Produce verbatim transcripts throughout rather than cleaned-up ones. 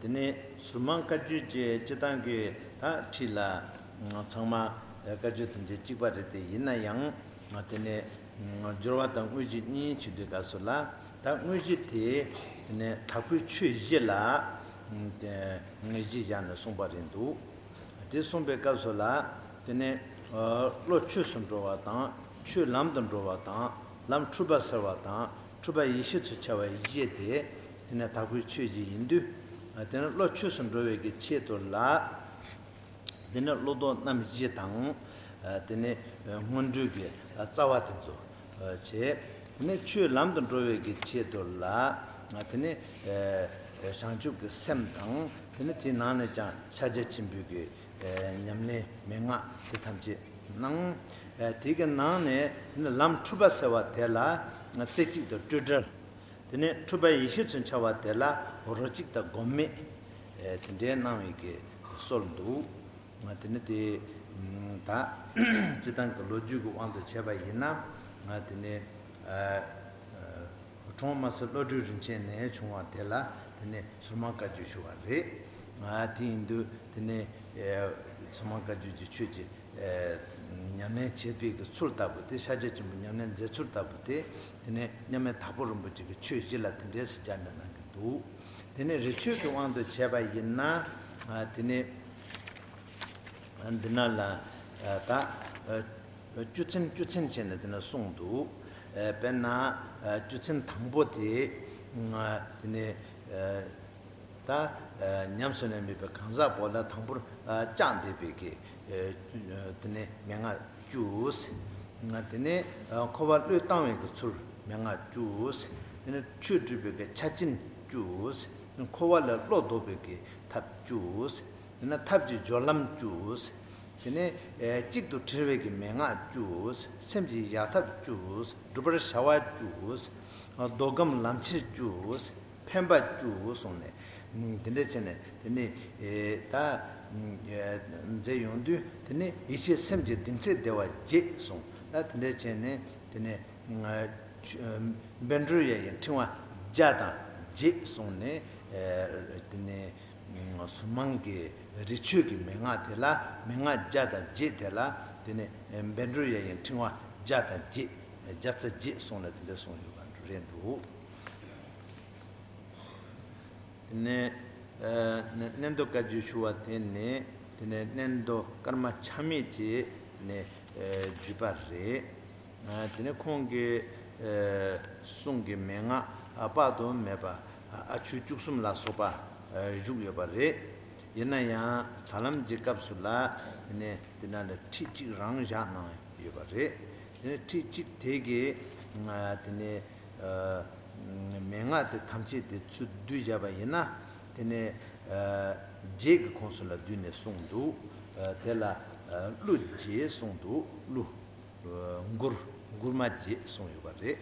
དེ་ནས་ཟུར་མང་བཀའ་བརྒྱུད་ཀྱི་སྤྱི་བཏང་གི་ད་ཁྲིད་ལ་ཚང་མ་བཀའ་བརྒྱུད་ཐམས་ཅད་གཅིག་པ་རེད་དེ། ཡིན་ན་ཡང་དེ་ནས་སྦྱོར་བ་དང་དངོས་གཞི་གཉིས་བྱེད་དུས་སྐབས་སུ་ལ། ད་དངོས་གཞི་དེ་དེ་ནས་དྭགས་པོའི་ཆོས་བཞི་ལ་དེ་དངོས་གཞི་བཞག་ནས་གསུངས་པ་རེད་འདུག་དེ་གསུངས་པའི་སྐབས་སུ་ལ། དེ་ནས་བློ་ཆོས་སུ་འགྲོ་བ་དང་ཆོས་ལམ་དུ་འགྲོ་བ་དང་ལམ་འཁྲུལ་པ་སེལ་བ་དང་འཁྲུལ་པ་ཡེ་ཤེས་སུ་འཆར་བ་བཞི་དེ་དེ་ནས་དྭགས་པོའི་ཆོས་བཞི་ཡིན་དུས། དེ་ནས་བློ་ཆོས་སུ་འགྲོ་བའི་གི་ཆེད་དུ་ལ། དེ་ནས་བློ་ལྡོག་རྣམ་བཞི་དང་། དེ་ནས་སྔོན་འགྲོའི་གི་རྩ་བ་དེ་ཚོ་བྱས། དེ་ནས་ཆོས་ལམ་དུ་འགྲོ་བའི་གི་ཆེད་དུ་ལ། དེ་ནས་བྱང་ཆུབ་ཀྱི་སེམས་དང་། དེ་ནས་དེའི་ནང་ནས་ཀྱང་ཕྱག་རྒྱ་ཆེན་པོའི་གི་ཉམས་ལེན་མན་ངག་དེ་ཐམས་ཅད་གནང་། དེ་གི་ནང་ནས་དེ་ནས་ལམ་འཁྲུལ་པ་སེལ་བ་དེ་ལ་རྩེ་གཅིག་ཏུ་སྤྲོས་བྲལ། དེ་ནས་འཁྲུལ་པ་ཡེ་ཤེས་སུ་འཆར་བ་དེ་ལ་རོ་གཅིག་དང་སྒོམ་མེད། དེ་འདྲའི་གནང་བའི་གི་སྲོལ་འདུག་དེ་ནི་དེ་ད་སྤྱི་བཏང་གི་ལོ་རྒྱུས་ཀྱི་དབང་དུ་བྱས་པ་ཡིན་ན། དེ་ནི་ཁྲོམ་མ་སི་བློ་གྲོས་རིན་ཆེན་ནས་བྱུང་བ་དེ་ལ་དེ་ནི་ཟུར་མང་བཀའ་བརྒྱུད་ཞུ་བ་རེད། དེ་ཡིན་དུས་དེ་ནི་ཟུར་མང་བཀའ་བརྒྱུད་ཀྱི་ཆོས་ཀྱི་ཉམས་ལེན་བྱེད་པའི་གི་ཚུལ་ལྟ་བུ་དེ། ཕྱག་རྒྱ་ཆེན་པོའི་ཉམས་ལེན་མཛད་ཚུལ་ལྟ་བུ་དེ། དེ་ནས་མཉམ་མེད་དྭགས་པོ་རིན་པོ་ཆེ་གི་ཆོས་བཞི་ལ་དེ་འདྲས་སུ་སྦྱར་ནས་གནང་གི་འདུག་དེ་ནས་རི་ཆོས་ཀྱི་དབང་དུ་བྱས་པ་ཡིན་ན། དེ་ནས་འདི་ན་ལ་ད་བཅུ་ཚན་བཅུ་ཚན་བྱས་ནས་དེ་ནས་གསུངས་འདུག་དཔེར་ན་བཅུ་ཚན་དང་པོ་དེ། དེ་ནས་ད་ཉམས་སུ་ལེན་མེད་པའི་གང་ཟག་པོ་ལ་དང་པོར་བཅངས་བསྡད་པའི་གི་དེ་ནས་མན་ངག་བཅུ། དེ་ནས་འཁོར་བ་བློས་བཏང་བའི་གི་ཚུལ་མན་ངག་བཅུ། དེ་ནས་ཆོས་སྒྲུབ་པའི་གི་ཆ་རྐྱེན་བཅུ། འཁོར་བ་ལས་བློ་ལྡོག་པའི་གི་ཐབས་བཅུ། དེ་ནས་ཐབས་ཀྱི་སྦྱོར་ལམ་བཅུ། དེ་ནས་གཅིག་ཏུ་དྲིལ་བའི་གི་མན་ངག་བཅུ། སེམས་ཀྱི་ཡལ་ཐབས་བཅུ། བསྒྲུབ་པར་བྱ་བ་བཅུ། ཟློག་སྒོམ་ལམ་ཁྱེར་བཅུ། འཕེན་པ་བཅུ་གསུངས་ནས། དེ་འདྲ་བྱས་ནས་དེ་ནས་ད་མཛད་ཡོང་དུས། དེ་ནས་ཡེ་ཤེས་སེམས་ཀྱི་གདིང་ཚད་བདེ་བ་བརྒྱད་གསུངས། ད་དེ་འདྲ་བྱས་ནས་དེ་ནས་བཻ་ཌཱུརྱ་ཡི་ཕྲེང་བ་བརྒྱ་དང་བརྒྱད་གསུངས་ནས། དེ་ནས་ཟུར་མང་གི་རི་ཆོས་ཀྱི་མན་ངག་དེ་ལ། མན་ངག་བརྒྱ་དང་བརྒྱད་དེ་ལ། དེ་ནས་བཻ་ཌཱུརྱ་ཡི་ཕྲེང་བ་བརྒྱ་དང་བརྒྱད། བརྒྱ་རྩ་བརྒྱད་གསུངས་ནས་དེ་འདྲ་གསུངས་ཡོད་པ་རེད་འདུག་དེ་ནས་ཨ་ནི་གནན་དུ་བཀའ་བརྒྱུད་ཞུ་བ་དེ་ནི། དེ་ནས་གནན་དུ་ཀརྨ་ཆགས་མེད་ཀྱི་དེ་ནས་ཨ་བརྒྱུད་པ་རེད། ཨ་དེ་ནས་ཁོང་གི་ཨ་གསུང་གི་མན་ངག་ཨ་དཔག་ཏུ་མེད་པ་ཨ་ཆོས་བཅུ་གསུམ་ལ་སོགས་པ་ཨ་བཞུགས་ཡོད་པ་རེད། ཡིན་ན་ཡང་ད་ལམ་གྱི་སྐབས་སུ་ལ་དེ་ནས་དེ་ན་ལ་ཁྲིད་གཅིག་རང་བཞག་གནང་ཡོད་པ་རེད། དེ་ནས་ཁྲིད་གཅིག་དེ་གི་ཨ་དེ་ནས་ཨ་མན་ངག་དེ་ཐམས་ཅད་དེ་ཚུར་བསྡུས་བཞག་པ་ཡིན་ན། དེ་ནས་ཨ་བརྒྱད་ཀྱི་ཁོངས་སུ་ལ་བསྡུས་ནས་གསུངས་འདུག་ཨ་དེ་ལ་ཨ་གླུ་བརྒྱད་གསུངས་འདུག་གླུ་ཨ་མགུར་མགུར་མ་བརྒྱད་གསུངས་ཡོད་པ་རེད།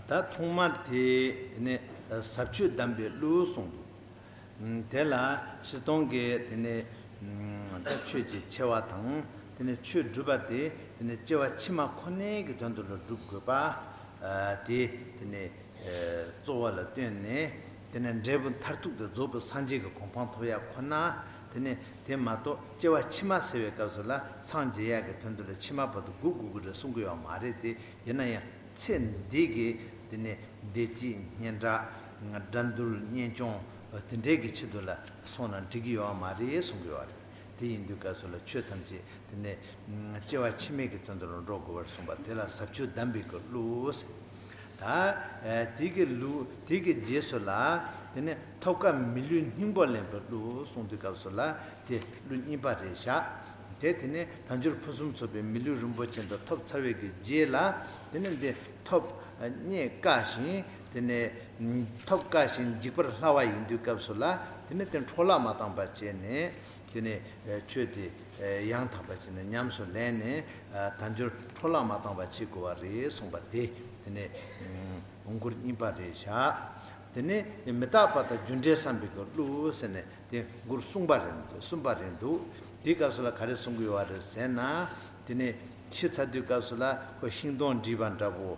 ད་ཐོག་མར་དེ་དེ་ནས་ཟབ་ཆོས་གདམས་པའི་གླུ་གསུངས་འདུག་དེ་ལ་སྤྱིར་བཏང་གི་དེ་ནས་ད་ཆོས་ཀྱི་ཆེ་བ་དང་། དེ་ནས་ཆོས་སྒྲུབ་པ་དེ་དེ་ནས་སྐྱེ་བ་ཕྱི་མ་ཁོ་ནའི་གི་དོན་དུ་ལ་སྒྲུབ་དགོས་པ་དེ་དེ་ནས་གཙོ་བོ་ལ་བཏོན་ནས། དེ་ནས་འབྲས་བུ་མཐར་ཐུག་དེ་རྫོགས་པའི་སངས་རྒྱས་ཀྱི་གོ་འཕང་ཐོབ་ཡ་ཁོ་ན། དེ་ནས་དེ་མ་གཏོགས་སྐྱེ་བ་ཕྱི་མ་ཟེར་བའི་སྐབས་སུ་ལ་སངས་རྒྱས་ཡག་གི་དོན་དུ་ལ་ཕྱི་མ་བར་དུ་སྒུག་དགོས་ཀྱི་རེད་གསུང་གི་ཡོད་མ་རེད་དེ། ཡིན་ན་ཡང་ཚེ་འདི་གི་དེ་ནས་བདེ་སྐྱིད་སྙན་གྲགས་དགྲ་འདུལ་གཉེན་སྐྱོང་དེ་འདྲའི་གི་ཆེད་དུ་ལ་སོང་ན་འགྲིག་གི་ཡོད་མ་རེད་གསུང་གི་ཡོད་རེད། དེ་ཡིན་དུས་སྐབས་སུ་ལ་ཆོས་ཐམས་ཅད་དེ་ནས་སྐྱེ་བ་ཕྱི་མའི་གི་དོན་དུ་ལ་འགྲོ་དགོས་པར་གསུངས་པ་དེ་ལ་ཟབ་ཆོས་གདམས་པའི་གི་གླུ། ད་དེ་གི་གླུ་དེ་གི་རྗེས་སུ་ལ་དེ་ནས་ཐོབ་དཀའ་མི་ལུས་སྙིང་པོ་ལེན་པའི་གླུ་གསུང་དུས་སྐབས་སུ་ལ་དེ་གླུ་གཉིས་པ་རེད་བཞག་དེ་དེ་ནས་དལ་འབྱོར་ཕུན་སུམ་ཚོགས་པའི་མི་ལུས་རིན་པོ་ཆེ་འདི་ཐོབ་ཚར་བའི་གི་རྗེས་ལ། དེ་ནས་འདི་ཐོབ་རྙེད་དཀའ་ཞིང་། དེ་ནས་ཐོབ་དཀའ་ཞིང་འཇིག་པར་སླ་བ་ཡིན་དུས་སྐབས་སུ་ལ། དེ་ནས་དེ་འཕྲོ་བརླག་མ་བཏང་པ་བྱས་ནས། དེ་ནས་ཆོས་དེ་ཡང་དག་པ་བྱས་ནས་ཉམས་སུ་ལེན་ནས་དལ་འབྱོར་འཕྲོ་བརླག་མ་བཏང་བ་བྱེད་དགོས་པ་རེད་གསུངས་པ་དེ། དེ་ནས་མགུར་གཉིས་པ་རེད་བཞག་དེ་ནས་མི་རྟག་པ་དང་རྒྱུ་འབྲས་བསམ་པའི་གི་གླུ་ཟེར་ནས་དེ་མགུར་གསུམ་པ་རེད་འདུག་གསུམ་པ་རེད་འདུག་དེའི་སྐབས་སུ་ལ་ག་རེ་གསུང་གི་ཡོད་པ་རེད་ཟེར་ན། དེ་ནས་ཤི་ཚར་དུས་སྐབས་སུ་ལ་ཁོ་ཤིང་སྡོང་བྲིས་པ་འདྲ་པོ།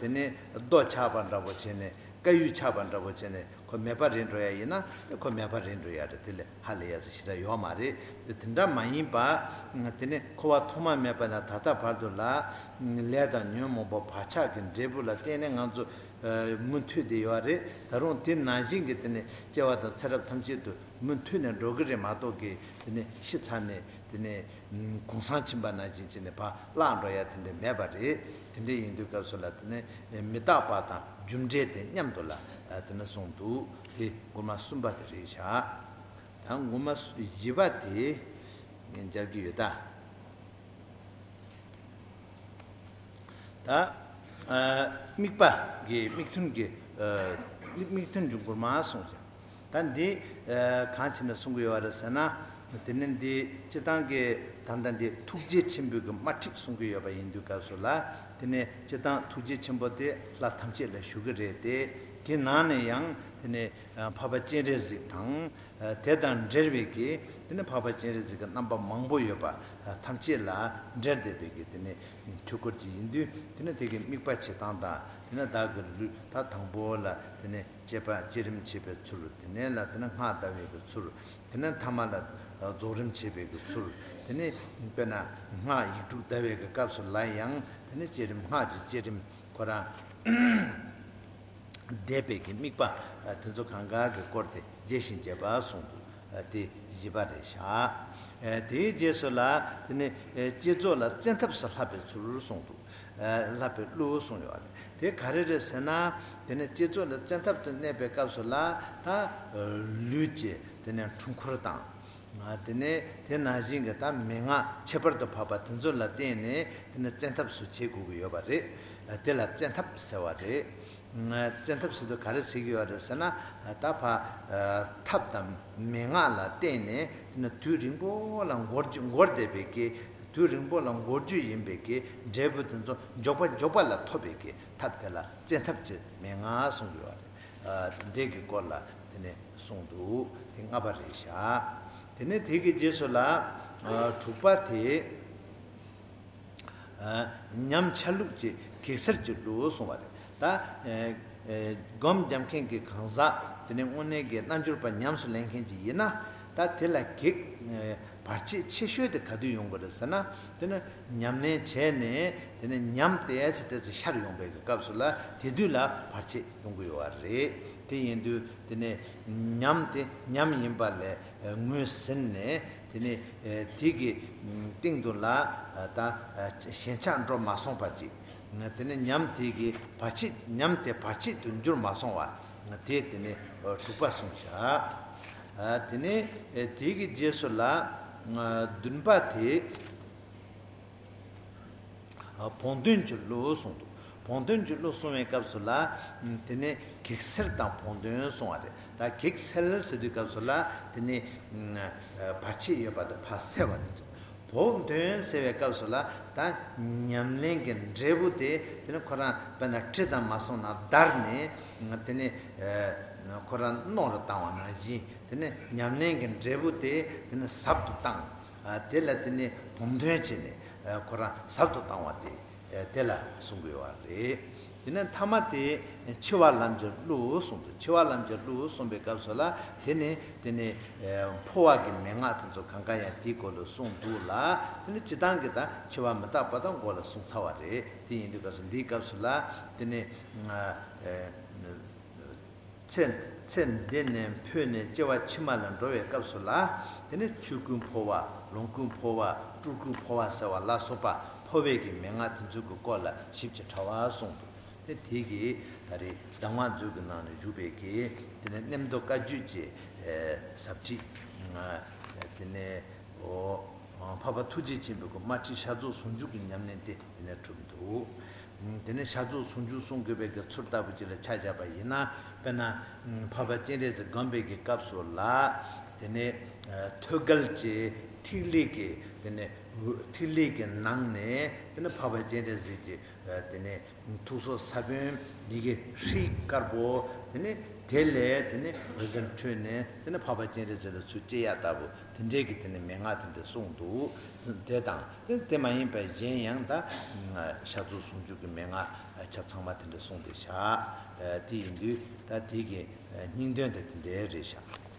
དེ་ནས་རྡོ་ཆག་པ་འདྲ་པོ་བྱས་ནས་དཀར་ཡོལ་ཆག་པ་འདྲ་པོ་བྱས་ནས་ཁོ་མེད་པ་རེད་འགྲོ་ཡ་ཡིན་ན་དེ་ཁོ་མེད་པ་རེད་འགྲོ་ཡ་རེད། དེ་ལས་ཧ་ལས་ཡ་ཟེར་ཞེ་དྲག་ཡོད་མ་རེད། དེ་དེ་འདྲ་མ་ཡིན་པ། དེ་ནས་འཁོར་བ་ཐོག་མ་མེད་པ་ནས་ད་ལྟ་བར་དུ་ལ་ལས་དང་ཉོན་མོངས་པ་བག་ཆགས་ཀྱི་འབྲས་བུ་ལ་བརྟེན་ནས་ང་ཚོ་མུ་མཐུད་དེ་ཡོད་རེད། ད་རུང་དེ་ནང་བཞིན་གྱི་དེ་ནས་སྐྱེ་བ་དང་ཚེ་རབས་ཐམས་ཅད་དུ་མུ་མཐུད་ནས་འགྲོ་གི་རེད་མ་གཏོགས་ཀྱི་དེ་ནས་ཤི་ཚར་ནས་དེ་ནས་གུང་སེང་ཕྱིན་པ་ནང་བཞིན་བྱས་ནས་ཕར་བརླག་འགྲོ་ཡ་དེ་འདྲ་མེད་པ་རེད། དེ་འདྲ་ཡིན་དུས་སྐབས་སུ་ལ་དེ་ནས་མི་རྟག་པ་དང་རྒྱུ་འབྲས་དེ་མཉམ་དུ་ལ་དེ་ནས་གསུངས་འདུག་དེ་མགུར་མ་གསུམ་པ་དེ་རེད་བཞག་ད་མགུར་མ་བཞི་པ་དེ་མཇལ་གྱི་ཡོད་ད། ད་ཨ་དམིགས་པ་གི་དམིགས་ཐུན་གྱི་ཨ་དམིགས་ཐུན་གྱི་མགུར་མ་གསུངས་ཤིང་། ད་འདི་ཨ་གང་བྱས་ནས་གསུང་གི་ཡོད་རེད་ཟེར་ན། དེ་ནི་འདི་སྤྱིར་བཏང་གི་ད་ལྟ་འདི་ཐུགས་རྗེ་ཆེན་པོའི་གི་དམར་ཁྲིད་གསུང་གི་ཡོད་པ་ཡིན་དུས་སྐབས་སུ་ལ། དེ་ནི་སྤྱིར་བཏང་ཐུགས་རྗེ་ཆེན་པོ་དེ་ལྷ་ཐམས་ཅད་ལ་ཞུ་གི་རེད་དེ། དེ་ནང་ནས་ཡང་དེ་ནི་ཨ་འཕགས་པ་སྤྱན་རས་གཟིགས་དང་། དེ་དང་འབྲེལ་བའི་གི་དེ་ནི་འཕགས་པ་སྤྱན་རས་གཟིགས་ཀྱི་རྣམ་པ་མང་པོ་ཡོད་པ་ཐམས་ཅད་ལ་འབྲེལ་བསྡད་པའི་གི་དེ་ནི་ཆོས་སྐོར་ཅིག་ཡིན་དུས། དེ་ནི་དེ་གི་དམིགས་པ་བྱེད་སྟངས་དང་། དེ་ནི་བདག་གི་ལུས་ད་དང་པོ་ལ་དེ་ནི་བསྐྱེད་པ་བསྐྱེད་རིམ་བྱེད་པའི་ཚུལ། དེ་ནས་ལ་དེ་ནི་སྔགས་བཟླ་བའི་གི་ཚུལ། དེ་ནས་ཐ་མ་ལ་རྫོགས་རིམ་བྱེད་པའི་གི་ཚུལ། དེ་ནི་དཔེར་ན་སྔགས་ཡིག་དྲུག་བཟླ་བའི་གི་སྐབས་སུ་ལ་ཡང་དེ་ནི་བསྐྱེད་རིམ་སྔགས་ཀྱི་བསྐྱེད་རིམ་ཁོ་རང་བཟླས་པའི་གི་དམིགས་པ་དེ་ཚོ་གང་ག་གི་སྐོར་དེ་རྒྱས་ཤིང་རྒྱས་པ་གསུངས་འདུག་དེ་བཞི་པ་རེད་བཞག་དེའི་རྗེས་སུ་ལ་དེ་ནི་བསྐྱེད་རྫོགས་ལ་བཙན་ཐབས་སུ་བསླབ་པའི་ཚུལ་གསུངས་འདུག་བསླབ་པའི་གླུ་གསུངས་ཡོད་རེད། དེ་ག་རེ་རེད་ཟེར་ན། དེ་ནི་བསྐྱེད་རྫོགས་ལ་བཙན་ཐབས་སུ་གནས་པའི་སྐབས་སུ་ལ་ད་ལུས་ཀྱི་དེ་ནི་འཁྲུལ་འཁོར་དང་། དེ་ནས་དེ་ནང་བཞིན་གྱི་ད་མན་ངག་ཁྱད་པར་དུ་འཕགས་པ་དེ་ཚོ་ལ་བརྟེན་ནས་དེ་ནི་བཙན་ཐབས་སུ་བྱེད་དགོས་ཀྱི་ཡོད་པ་རེད། དེ་ལ་བཙན་ཐབས་ཟེར་བ་རེད། བཙན་ཐབས་ཟེར་དུས་ག་རེ་ཟེར་གྱི་ཡོད་རེད་ཟེར་ན། ད་ཕ་ཐབས་དང་མན་ངག་ལ་བརྟེན་ནས་དེ་ནི་དུས་རིང་པོ་ལ་འགོར་རྒྱུ་འགོར་བསྡད་པའི་གི་དུས་རིང་པོ་ལ་འགོར་རྒྱུ་ཡིན་པའི་གི་འབྲས་བུ་དེ་ཚོ་མགྱོགས་པ་མགྱོགས་པ་ལ་ཐོབ་པའི་གི་ཐབས་དེ་ལ་བཙན་ཐབས་ཀྱི་མན་ངག་གསུངས་ཡོད་རེད། དེ་འདྲའི་གི་སྐོར་ལ་དེ་ནས་གསུངས་འདུག་དེ་ལྔ་པ་རེད་བཞག་དེ་ནས་དེ་གི་རྗེས་སུ་ལ་དྲུག་པ་དེ་ཉམས་ཆ་ལུགས་ཀྱི་གེགས་སེལ་གྱི་གླུ་གསུངས་པ་རེད། ད་སྒོམ་རྒྱབ་མཁན་གྱི་གང་ཟག་དེ་ནས་དངོས་གནས་ཀྱི་རྣལ་འབྱོར་པ་ཉམས་སུ་ལེན་མཁན་ཅིག་ཡིན་ན། ད་དེ་ལ་གེགས་བར་ཆད་ཆེ་ཤོས་དེ་ག་དུས་ཡོང་གི་རེད་ཟེར་ན། དེ་ནི་ཉམས་ལེན་བྱས་ནས་དེ་ནི་ཉམས་ཏོག་ཙམ་ཏོག་ཙམ་ཤར་ཡོང་པའི་གི་སྐབས་སུ་ལ་དེ་དུས་ལ་བར་ཆད་ཡོང་གི་ཡོད་པ་རེད། དེ་ཡིན་དུས་དེ་ནི་ཉམས་དེ་ཉམས་ཡིན་པ་ལས་ངོས་ཟིན་ནས། དེ་ནི་དེ་གི་སྟེང་དུ་ལ་ད་ཞེན་ཆགས་འགྲོ་མ་སོང་བ་ཅིག་དེ་ནི་ཉམས་དེ་གི་བར་ཆད་ཉམས་དེ་བར་ཆད་དུ་འགྱུར་མ་སོང་བ། དེ་དེ་ནི་དྲུག་པ་གསུངས་བཞག་དེ་ནི་དེ་གི་རྗེས་སུ་ལ་བདུན་པ་དེ། བོགས་འདོན་གྱི་གླུ་གསུངས་འདུག་བོགས་འདོན་གྱི་གླུ་གསུང་བའི་སྐབས་སུ་ལ། དེ་ནས་གེགས་སེལ་དང་བོགས་འདོན་གསུང་བ་རེད། ད་གེགས་སེལ་ཟེར་དུས་སྐབས་སུ་ལ་དེ་ནས་བར་ཆད་ཡོད་པ་དེ་ཕར་སེལ་བ་དེ་རེད། བོགས་འདོན་ཟེར་བའི་སྐབས་སུ་ལ་ད་ཉམས་ལེན་གྱི་འབྲས་བུ་དེ་དེ་ནི་ཁོ་རང་དཔེར་ན་གྲི་དང་མ་སོང་ན་བརྡར་ནས་དེ་ནི་ཁོ་རང་རྣོ་རུ་བཏང་བ་ནང་བཞིན། དེ་ནི་ཉམས་ལེན་གྱི་འབྲས་བུ་དེ་དེ་ནི་ཟབ་ཏུ་བཏང་། དེ་ལ་དེ་ནི་བོགས་འདོན་བྱས་ནས་ཁོ་རང་ཟབ་ཏུ་བཏང་བ་དེ་དེ་ལ་གསུང་དགོས་པ་རེད། དེ་ནས་ཐ་མ་དེ་འཆི་བ་ལམ་གྱི་གླུ་གསུངས་འདུག་འཆི་བ་ལམ་གྱི་གླུ་གསུངས་པའི་སྐབས་སུ་ལ་དེ་ནི་དེ་ནི་འཕོ་བ་གི་མན་ངག་དེ་ཚོ་གང་ག་ཡང་དེའི་སྐོར་ལ་གསུངས་འདུག་ལ། དེ་ནི་སྤྱིར་བཏང་གི་ད་འཆི་བ་མི་རྟག་པ་དང་མགོ་ལ་གསུངས་ཚར་བ་རེད། དེ་ཡིན་དུས་སྐབས་སུ་འདིའི་སྐབས་སུ་ལ་དེ་ནི། ཚེ་ཚེ་འདི་ནས་འཕོས་ནས་སྐྱེ་བ་ཕྱི་མ་ལ་འགྲོ་བའི་སྐབས་སུ་ལ། དེ་ནི་ཆོས་ཀུན་འཕོ་བ། ལོངས་སྐུ་འཕོ་བ། སྤྲུལ་སྐུ་འཕོ་བ་ཟེར་བ་ལ་སོགས་པ་འཕོ་བའི་གི་མན་ངག་དེ་ཚོ་གི་སྐོར་ལ་ཞིབ་ཅིང་ཕྲ་བ་གསུངས་འདུག་དེ་དེ་གི་ད་རེས་གདམས་ངག་མཛོད་ཀྱི་ནང་ནས་བཞུགས་པའི་གི་དེ་ནི་གནས་མདོ་བཀའ་བརྒྱུད་ཀྱི་ཟབ་ཁྲིད། དེ་ནི་འོ། འཕགས་པ་ཐུགས་རྗེ་ཆེན་པོའི་གི་དམར་ཁྲིད་ཤར་རྫོགས་ཟུང་འཇུག་གི་ཉམས་ལེན་དེ་དེ་ནས་གྲུབ་འདུག་དེ་ནས་ཤར་རྫོགས་ཟུང་འཇུག་གསུང་དགོས་པའི་གི་ཚུལ་ལྟ་བུ་ཅིག་ལ་ཆ་བཞག་པ་ཡིན་ན། དཔེར་ན་འཕགས་པ་སྤྱན་རས་གཟིགས་བསྒོམ་པའི་གི་སྐབས་སུ་ལ། དེ་ནས་ཐོད་རྒལ་གྱི་ཐིག་ལེ་གི་དེ་ནས་ཐིག་ལེ་གི་ནང་ནས་དེ་ནས་འཕགས་པ་སྤྱན་རས་གཟིགས་ཀྱི་དེ་ནས། ཐུགས་སྲོག་ས་བོན་ཡི་གེ་ཧྲཱིཿདཀར་པོ། དེ་ནས་ དེ་ལས་དེ་ནི་འོད་ཟེར་འཕྲོས་ནས་དེ་ནི་འཕགས་པ་སྤྱན་རས་གཟིགས་ལ་ཚུར་སྤྲད་ཡ་ལྟ་བུ་དེ་འདྲའི་གི་དེ་ནི་མན་ངག་དེ་འདྲ་གསུངས་འདུག། དེ་དང་དེ་དེ་མ་ཡིན་པ་གཞན་ཡང་ད་ཕྱག་རྫོགས་ཟུང་འཇུག་གི་མན་ངག་ཆ་ཚང་མ་དེ་འདྲ་གསུངས་ཏེ་བཞག། དེ་ཡིན་དུས་ད་དེ་གི་སྙིང་དོན་དེ་དེ་འདྲའི་རེད་བཞག།